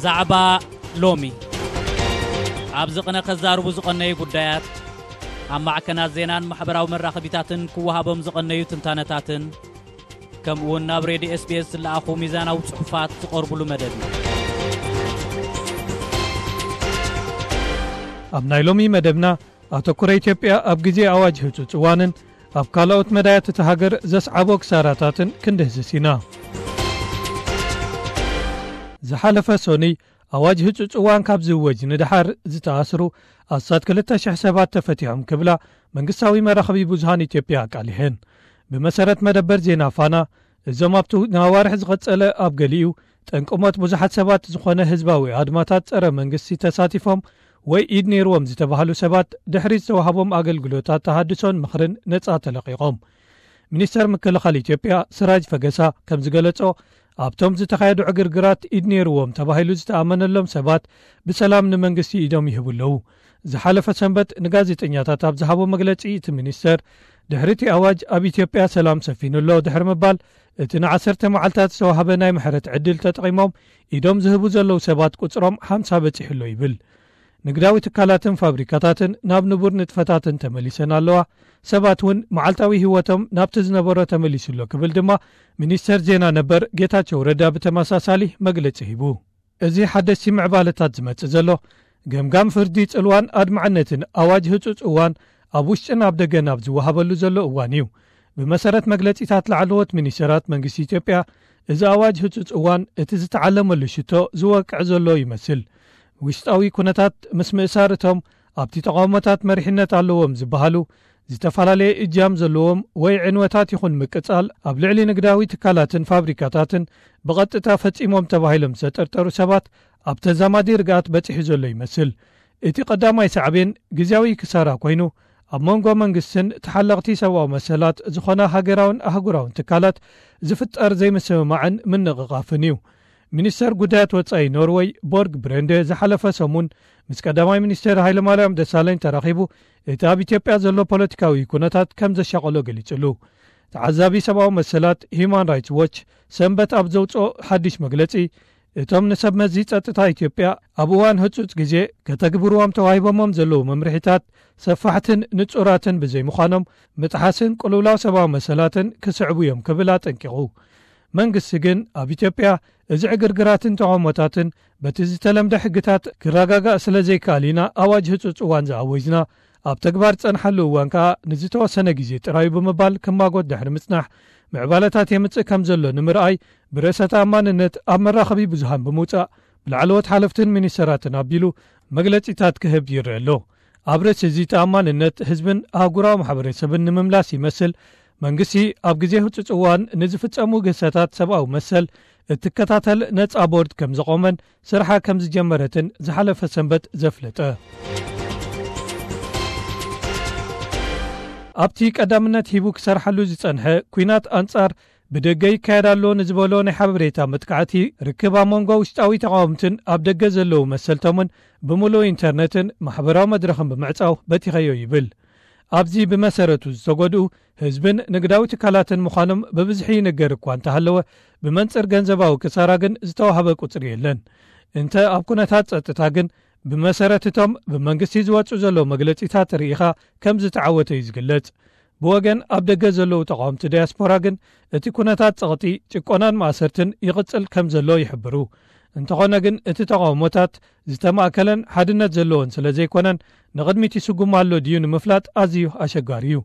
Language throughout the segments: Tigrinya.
ዛዕባ ሎሚ። ኣብዚ ቅነ ከዛርቡ ዝቐነዩ ጉዳያት፣ ኣብ ማዕከናት ዜናን ማሕበራዊ መራኸቢታትን ክወሃቦም ዝቐነዩ ትንታነታትን፣ ከምኡ እውን ናብ ሬድዮ ኤስ ቢ ኤስ ዝለኣኹ ሚዛናዊ ጽሑፋት ዝቐርቡሉ መደብ እዩ። ኣብ ናይ ሎሚ መደብና፣ ኣተኩሮ ኢትዮጵያ ኣብ ግዜ ኣዋጅ ህጹጽ እዋንን ኣብ ካልኦት መዳያት እታ ሃገር ዘስዓቦ ክሳራታትን ክንድህስስ ኢና። ዝሓለፈ ሶኑይ ኣዋጅ ህጹጽ እዋን ካብ ዝእወጅ ንደሓር ዝተኣስሩ ኣስታት ክልተ ሽሕ ሰባት ተፈቲሖም ክብላ መንግስታዊ መራኸቢ ብዙሃን ኢትዮጵያ ኣቃሊሐን። ብመሰረት መደበር ዜና ፋና፣ እዞም ኣብቲ ንኣዋርሕ ዝቐጸለ ኣብ ገሊኡ ጠንቂ ሞት ብዙሓት ሰባት ዝኾነ ህዝባዊ ኣድማታት ጸረ መንግስቲ ተሳቲፎም ወይ ኢድ ነይርዎም ዝተባህሉ ሰባት ድሕሪ ዝተዋህቦም ኣገልግሎታት ተሃድሶን ምኽርን ነጻ ተለቒቖም። ሚኒስተር ምክልኻል ኢትዮጵያ ስራጅ ፈገሳ ከም ዝገለጾ፣ ኣብቶም ዝተኻየዱ ዕግርግራት ኢድ ነይርዎም ተባሂሉ ዝተኣመነሎም ሰባት ብሰላም ንመንግስቲ ኢዶም ይህቡ ኣለዉ። ዝሓለፈ ሰንበት ንጋዜጠኛታት ኣብ ዝሃቦ መግለጺ እቲ ሚኒስተር፣ ድሕሪ እቲ ኣዋጅ ኣብ ኢትዮጵያ ሰላም ሰፊኑ ኣሎ ድሕሪ ምባል፣ እቲ ንዓሰርተ መዓልታት ዝተዋህበ ናይ ምሕረት ዕድል ተጠቒሞም ኢዶም ዝህቡ ዘለዉ ሰባት ቁጽሮም ሓምሳ በጺሑ ኣሎ ይብል። ንግዳዊ ትካላትን ፋብሪካታትን ናብ ንቡር ንጥፈታትን ተመሊሰን ኣለዋ። ሰባት እውን መዓልታዊ ህይወቶም ናብቲ ዝነበሮ ተመሊሱ ኣሎ ክብል ድማ ሚኒስተር ዜና ነበር ጌታቸው ረዳ ብተመሳሳሊ መግለጺ ሂቡ። እዚ ሓደስቲ ምዕባለታት ዝመጽእ ዘሎ፣ ገምጋም ፍርዲ ጽልዋን ኣድማዕነትን ኣዋጅ ህጹጽ እዋን ኣብ ውሽጥን ኣብ ደገን ኣብ ዝወሃበሉ ዘሎ እዋን እዩ። ብመሰረት መግለጺታት ላዕለዎት ሚኒስተራት መንግስቲ ኢትዮጵያ፣ እዚ ኣዋጅ ህጹጽ እዋን እቲ ዝተዓለመሉ ሽቶ ዝወቅዕ ዘሎ ይመስል። ውሽጣዊ ኩነታት ምስ ምእሳር እቶም ኣብቲ ተቃውሞታት መሪሕነት ኣለዎም ዝበሃሉ፣ ዝተፈላለየ እጃም ዘለዎም ወይ ዕንወታት ይኹን ምቅጻል ኣብ ልዕሊ ንግዳዊ ትካላትን ፋብሪካታትን ብቐጥታ ፈጺሞም ተባሂሎም ዝተጠርጠሩ ሰባት ኣብ ተዛማዲ ርግኣት በጺሑ ዘሎ ይመስል። እቲ ቀዳማይ ሳዕቤን ግዝያዊ ክሳራ ኮይኑ፣ ኣብ መንጎ መንግስትን ተሓለቕቲ ሰብኣዊ መሰላት ዝኾና ሃገራውን ኣህጉራውን ትካላት ዝፍጠር ዘይምስምማዕን ምንቕቓፍን እዩ። ሚኒስተር ጉዳያት ወጻኢ ኖርወይ ቦርግ ብረንደ ዝሓለፈ ሰሙን ምስ ቀዳማይ ሚኒስተር ሃይለማርያም ደሳለኝ ተራኺቡ፣ እቲ ኣብ ኢትዮጵያ ዘሎ ፖለቲካዊ ኩነታት ከም ዘሻቐሎ ገሊጹሉ። ተዓዛቢ ሰብኣዊ መሰላት ሂዩማን ራይትስ ዎች ሰንበት ኣብ ዘውጽኦ ሓድሽ መግለጺ፣ እቶም ንሰብ መዚ ጸጥታ ኢትዮጵያ ኣብ እዋን ህጹጽ ግዜ ከተግብርዎም ተዋሂቦሞም ዘለዉ መምርሒታት ሰፋሕትን ንጹራትን ብዘይምዃኖም፣ ምጥሓስን ቅልውላው ሰብኣዊ መሰላትን ክስዕቡ እዮም ክብል ኣጠንቂቑ። መንግስቲ ግን ኣብ ኢትዮጵያ እዚ ዕግርግራትን ተቓውሞታትን በቲ ዝተለምደ ሕግታት ክረጋጋእ ስለ ዘይከኣል ኢና ኣዋጅ ህጹጽ እዋን ዝኣወጅና። ኣብ ተግባር ዝጸንሓሉ እዋን ከኣ ንዝተወሰነ ግዜ ጥራዩ ብምባል ክማጎት ድሕሪ ምጽናሕ፣ ምዕባለታት የምጽእ ከም ዘሎ ንምርኣይ ብርእሰ ተኣማንነት ኣብ መራኸቢ ብዙሃን ብምውጻእ ብላዕለዎት ሓለፍትን ሚኒስተራትን ኣቢሉ መግለጺታት ክህብ ይረአ ኣሎ። ኣብ ርእሲ እዚ ተኣማንነት ህዝብን ኣህጉራዊ ማሕበረሰብን ንምምላስ ይመስል መንግስቲ ኣብ ግዜ ህጹጽ እዋን ንዝፍጸሙ ግህሰታት ሰብኣዊ መሰል እትከታተል ነጻ ቦርድ ከም ዘቖመን ስርሓ ከም ዝጀመረትን ዝሓለፈ ሰንበት ዘፍለጠ። ኣብቲ ቀዳምነት ሂቡ ክሰርሓሉ ዝጸንሐ ኲናት ኣንጻር ብደገ ይካየድ ኣሎ ንዝበሎ ናይ ሓበሬታ መጥቃዕቲ፣ ርክብ ኣብ መንጎ ውሽጣዊ ተቓወምትን ኣብ ደገ ዘለዉ መሰልቶምን ብምሉእ ኢንተርነትን ማሕበራዊ መድረኽን ብምዕጻው በቲኸዮ ይብል። ኣብዚ ብመሰረቱ ዝተጎድኡ ህዝብን ንግዳዊ ትካላትን ምዃኖም ብብዝሒ ይንገር እኳ እንተሃለወ፣ ብመንጽር ገንዘባዊ ክሳራ ግን ዝተዋህበ ቁጽሪ የለን። እንተ ኣብ ኩነታት ጸጥታ ግን፣ ብመሰረት እቶም ብመንግስቲ ዝወጹ ዘለዉ መግለጺታት ርኢኻ ከም ዝተዓወተ እዩ ዝግለጽ። ብወገን ኣብ ደገ ዘለዉ ተቓወምቲ ዳያስፖራ ግን፣ እቲ ኩነታት ጸቕጢ፣ ጭቆናን ማእሰርትን ይቕጽል ከም ዘሎ ይሕብሩ። እንተኾነ ግን፣ እቲ ተቓውሞታት ዝተማእከለን ሓድነት ዘለዎን ስለ ዘይኮነን፣ ንቕድሚት ይስጉም ኣሎ ድዩ ንምፍላጥ ኣዝዩ ኣሸጋሪ እዩ።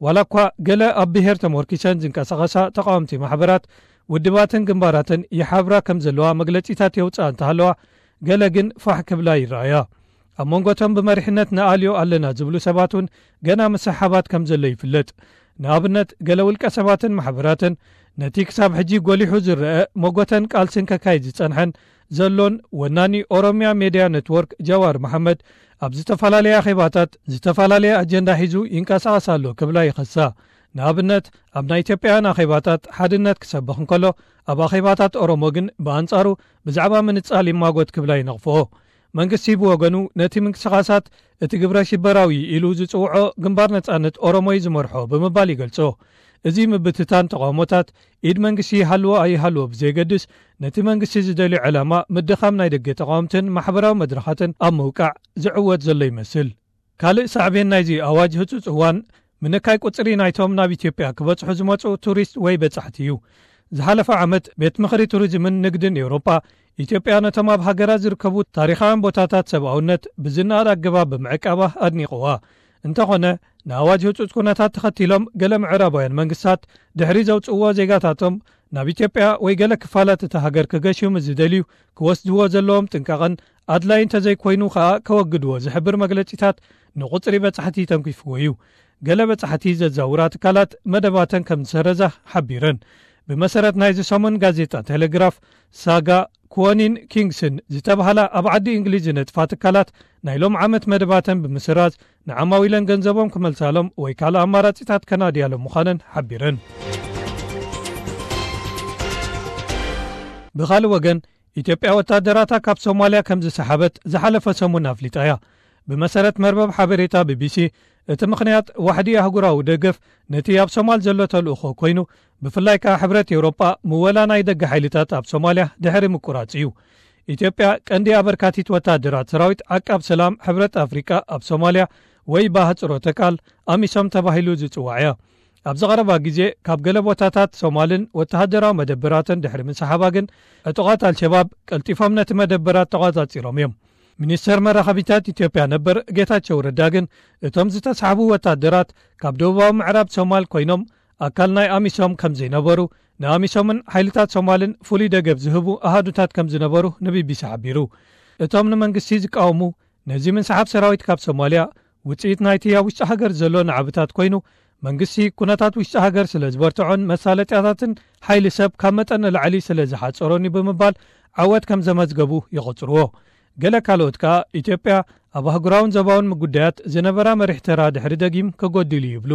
ዋላ እኳ ገለ ኣብ ብሄር ተመርኪሰን ዝንቀሳቐሳ ተቓወምቲ ማሕበራት፣ ውድባትን ግንባራትን ይሓብራ ከም ዘለዋ መግለጺታት የውጽኣ እንተሃለዋ፣ ገለ ግን ፋሕ ክብላ ይረኣያ። ኣብ መንጎ እቶም ብመሪሕነት ንኣልዮ ኣለና ዝብሉ ሰባት እውን ገና ምስሕሓባት ከም ዘሎ ይፍለጥ። ንኣብነት፣ ገለ ውልቀ ሰባትን ማሕበራትን ነቲ ክሳብ ሕጂ ጎሊሑ ዝረአ መጎተን ቃልስን ከካይድ ዝጸንሐን ዘሎን ወናኒ ኦሮሚያ ሜድያ ኔትወርክ ጃዋር መሓመድ ኣብ ዝተፈላለየ ኣኼባታት ዝተፈላለየ ኣጀንዳ ሒዙ ይንቀሳቐስ ኣሎ ክብላ ይኸሳ። ንኣብነት፣ ኣብ ናይ ኢትዮጵያውያን ኣኼባታት ሓድነት ክሰብኽ እንከሎ፣ ኣብ ኣኼባታት ኦሮሞ ግን ብኣንጻሩ ብዛዕባ ምንጻል ይማጎት ክብላ ይነቕፍኦ። መንግስቲ ብወገኑ ነቲ ምንቅስቓሳት እቲ ግብረ ሽበራዊ ኢሉ ዝጽውዖ ግንባር ነጻነት ኦሮሞ እዩ ዝመርሖ ብምባል ይገልጾ። እዚ ምብትታን ተቓውሞታት፣ ኢድ መንግስቲ ይሃልዎ ኣይሃልዎ ብዘየገድስ፣ ነቲ መንግስቲ ዝደልዮ ዕላማ ምድኻም ናይ ደገ ተቓወምትን ማሕበራዊ መድረኻትን ኣብ ምውቃዕ ዝዕወት ዘሎ ይመስል። ካልእ ሳዕቤን ናይዚ ኣዋጅ ህጹጽ እዋን፣ ምንካይ ቁጽሪ ናይቶም ናብ ኢትዮጵያ ክበጽሑ ዝመጹ ቱሪስት ወይ በጻሕቲ እዩ። ዝሓለፈ ዓመት፣ ቤት ምኽሪ ቱሪዝምን ንግድን ኤውሮጳ፣ ኢትዮጵያ ነቶም ኣብ ሃገራ ዝርከቡ ታሪኻውያን ቦታታት ሰብኣውነት ብዝነኣድ ኣገባብ ብምዕቃባ ኣድኒቕዋ። እንተኾነ፣ ንኣዋጅ ህጹጽ ኩነታት ተኸቲሎም፣ ገለ ምዕራባውያን መንግስታት ድሕሪ ዘውጽእዎ፣ ዜጋታቶም ናብ ኢትዮጵያ ወይ ገለ ክፋላት እታ ሃገር ክገሹ ምስ ዝደልዩ፣ ክወስድዎ ዘለዎም ጥንቃቐን ኣድላይ እንተዘይኮይኑ ከኣ ከወግድዎ ዝሕብር መግለጺታት ንቁጽሪ በጻሕቲ ተንኪፍዎ እዩ። ገለ በጻሕቲ ዘዛውራ ትካላት መደባተን ከም ዝሰረዛ ሓቢረን። ብመሰረት ናይዚ ሰሙን ጋዜጣ ቴሌግራፍ፣ ሳጋ፣ ኩወኒን ኪንግስን ዝተባህላ ኣብ ዓዲ እንግሊዝ ዝነጥፋ ትካላት፣ ናይ ሎም ዓመት መደባተን ብምስራዝ፣ ንዓማዊለን ገንዘቦም ክመልሳሎም ወይ ካልእ ኣማራጺታት ከናድያሎም ምዃነን ሓቢረን። ብኻልእ ወገን፣ ኢትዮጵያ ወታደራታ ካብ ሶማልያ ከም ዝሰሓበት ዝሓለፈ ሰሙን ኣፍሊጣ እያ። ብመሰረት መርበብ ሓበሬታ ቢቢሲ፣ እቲ ምኽንያት ዋሕዲ ኣህጉራዊ ደገፍ ነቲ ኣብ ሶማል ዘሎ ተልእኾ ኮይኑ፣ ብፍላይ ከኣ ሕብረት ኤውሮጳ ምወላ ናይ ደገ ሓይልታት ኣብ ሶማልያ ድሕሪ ምቁራጽ እዩ። ኢትዮጵያ ቀንዲ ኣበርካቲት ወታደራት ሰራዊት ዓቃብ ሰላም ሕብረት ኣፍሪቃ ኣብ ሶማልያ ወይ ብኣህጽሮተ ቃል ኣሚሶም ተባሂሉ ዝጽዋዕ እያ። ኣብዚ ቀረባ ግዜ ካብ ገለ ቦታታት ሶማልን ወተሃደራዊ መደበራትን ድሕሪ ምንስሓባ ግን፣ ዕጡቓት ኣልሸባብ ቀልጢፎም ነቲ መደበራት ተቖጻጺሮም እዮም። ሚኒስተር መራኸቢታት ኢትዮጵያ ነበር ጌታቸው ረዳ ግን፣ እቶም ዝተሳሕቡ ወታደራት ካብ ደቡባዊ ምዕራብ ሶማል ኮይኖም፣ ኣካል ናይ ኣሚሶም ከም ዘይነበሩ፣ ንኣሚሶምን ሓይልታት ሶማልን ፍሉይ ደገፍ ዝህቡ ኣሃዱታት ከም ዝነበሩ ንቢቢሲ ሓቢሩ። እቶም ንመንግስቲ ዝቃወሙ፣ ነዚ ምንስሓብ ሰራዊት ካብ ሶማልያ ውጽኢት ናይቲ ኣብ ውሽጢ ሃገር ዘሎ ናዕብታት ኮይኑ፣ መንግስቲ ኩነታት ውሽጢ ሃገር ስለ ዝበርትዖን መሳለጥያታትን ሓይሊ ሰብ ካብ መጠን ንላዕሊ ስለ ዝሓጸሮን እዩ ብምባል ዓወት ከም ዘመዝገቡ ይቖጽርዎ። ገለ ካልኦት ከኣ፣ ኢትዮጵያ ኣብ ኣህጉራውን ዞባውን ጉዳያት ዝነበራ መሪሕ ተራ ድሕሪ ደጊም ከጎድል እዩ ይብሉ።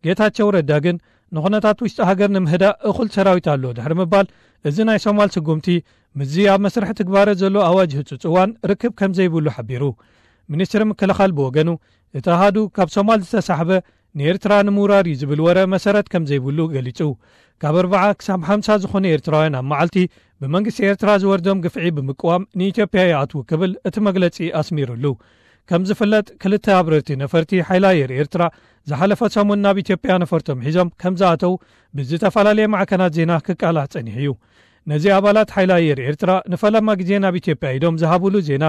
ጌታቸው ረዳ ግን፣ ንኹነታት ውሽጢ ሃገር ንምህዳእ እኹል ሰራዊት ኣሎ ድሕሪ ምባል፣ እዚ ናይ ሶማል ስጉምቲ ምስዚ ኣብ መስርሕ ትግባረ ዘሎ ኣዋጅ ህጹጽ እዋን ርክብ ከም ዘይብሉ ሓቢሩ። ሚኒስትሪ ምክልኻል ብወገኑ፣ እቲ ኣሃዱ ካብ ሶማል ዝተሳሕበ ንኤርትራ ንምውራር እዩ ዝብል ወረ መሰረት ከም ዘይብሉ ገሊጹ። ካብ ኣርብዓ ክሳብ ሓምሳ ዝኾኑ ኤርትራውያን ኣብ መዓልቲ ብመንግስቲ ኤርትራ ዝወርዶም ግፍዒ ብምቅዋም ንኢትዮጵያ ይኣትዉ ክብል እቲ መግለጺ ኣስሚሩሉ። ከም ዝፍለጥ፣ ክልተ ኣብረርቲ ነፈርቲ ሓይሊ ኣየር ኤርትራ ዝሓለፈ ሰሙን ናብ ኢትዮጵያ ነፈርቶም ሒዞም ከም ዝኣተዉ ብዝተፈላለየ ማዕከናት ዜና ክቃላዕ ጸኒሑ እዩ። ነዚ ኣባላት ሓይሊ ኣየር ኤርትራ ንፈለማ ግዜ ናብ ኢትዮጵያ ኢዶም ዝሃብሉ ዜና፣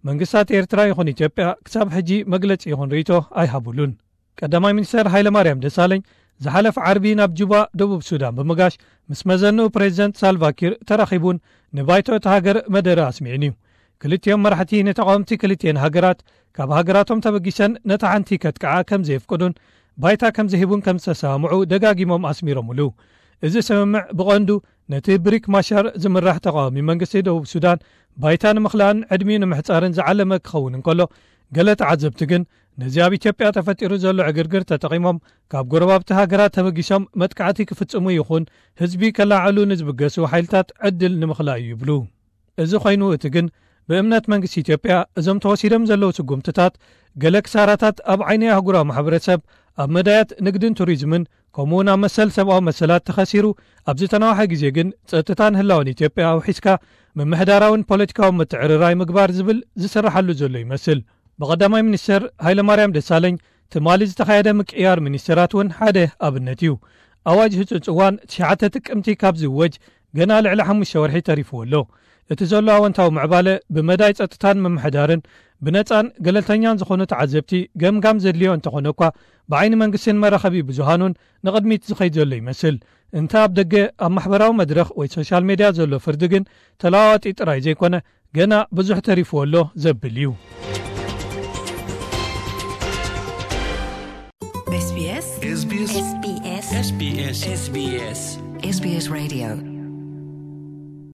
መንግስታት ኤርትራ ይኹን ኢትዮጵያ ክሳብ ሕጂ መግለጺ ይኹን ርእይቶ ኣይሃብሉን። ቀዳማይ ሚኒስተር ሃይለማርያም ደሳለኝ ዝሓለፈ ዓርቢ ናብ ጁባ፣ ደቡብ ሱዳን ብምጋሽ፣ ምስ መዘንኡ ፕሬዚደንት ሳልቫኪር ተራኺቡን ንባይቶ እታ ሃገር መደረ ኣስሚዑን እዩ። ክልቲኦም መራሕቲ ንተቓወምቲ ክልቲኤን ሃገራት ካብ ሃገራቶም ተበጊሰን ነታ ሓንቲ ከጥቅዓ ከም ዘየፍቅዱን ባይታ ከም ዝህቡን ከም ዝተሰማምዑ ደጋጊሞም ኣስሚሮምሉ። እዚ ስምምዕ ብቐንዱ ነቲ ብሪክ ማሻር ዝምራሕ ተቓዋሚ መንግስቲ ደቡብ ሱዳን ባይታ ንምኽላእን ዕድሚኡ ንምሕጻርን ዝዓለመ ክኸውን እንከሎ፣ ገለ ተዓዘብቲ ግን ነዚ ኣብ ኢትዮጵያ ተፈጢሩ ዘሎ ዕግርግር ተጠቒሞም ካብ ጎረባብቲ ሃገራት ተበጊሶም መጥቃዕቲ ክፍጽሙ ይኹን ህዝቢ ከለዓዕሉ ንዝብገሱ ሓይልታት ዕድል ንምኽላእ እዩ ይብሉ። እዚ ኮይኑ፣ እቲ ግን ብእምነት መንግስቲ ኢትዮጵያ እዞም ተወሲዶም ዘለዉ ስጉምትታት ገለ ክሳራታት ኣብ ዓይኒ ኣህጉራዊ ማሕበረሰብ፣ ኣብ መዳያት ንግድን ቱሪዝምን፣ ከምኡውን ኣብ መሰል ሰብኣዊ መሰላት ተኸሲሩ፣ ኣብ ዝተናውሐ ግዜ ግን ጸጥታን ህላወን ኢትዮጵያ ኣውሒስካ ምምሕዳራውን ፖለቲካውን ምትዕርራይ ምግባር ዝብል ዝስርሓሉ ዘሎ ይመስል። ብቐዳማይ ሚኒስተር ሃይለማርያም ደሳለኝ ትማሊ ዝተኻየደ ምቅያር ሚኒስተራት እውን ሓደ ኣብነት እዩ። ኣዋጅ ህጹጽ እዋን ትሽዓተ ጥቅምቲ ካብ ዝእወጅ ገና ልዕሊ ሓሙሽተ ወርሒ ተሪፍዎ ኣሎ። እቲ ዘሎ ኣወንታዊ ምዕባለ ብመዳይ ጸጥታን ምምሕዳርን ብነጻን ገለልተኛን ዝኾኑ ተዓዘብቲ ገምጋም ዘድልዮ እንተኾነ እኳ፣ ብዓይኒ መንግስትን መራኸቢ ብዙሃኑን ንቕድሚት ዝኸይድ ዘሎ ይመስል። እንተ ኣብ ደገ ኣብ ማሕበራዊ መድረኽ ወይ ሶሻል ሜድያ ዘሎ ፍርዲ ግን ተለዋዋጢ ጥራይ ዘይኮነ፣ ገና ብዙሕ ተሪፍዎ ኣሎ ዘብል እዩ። SBS SBS SBS SBS SBS SBS SBS Radio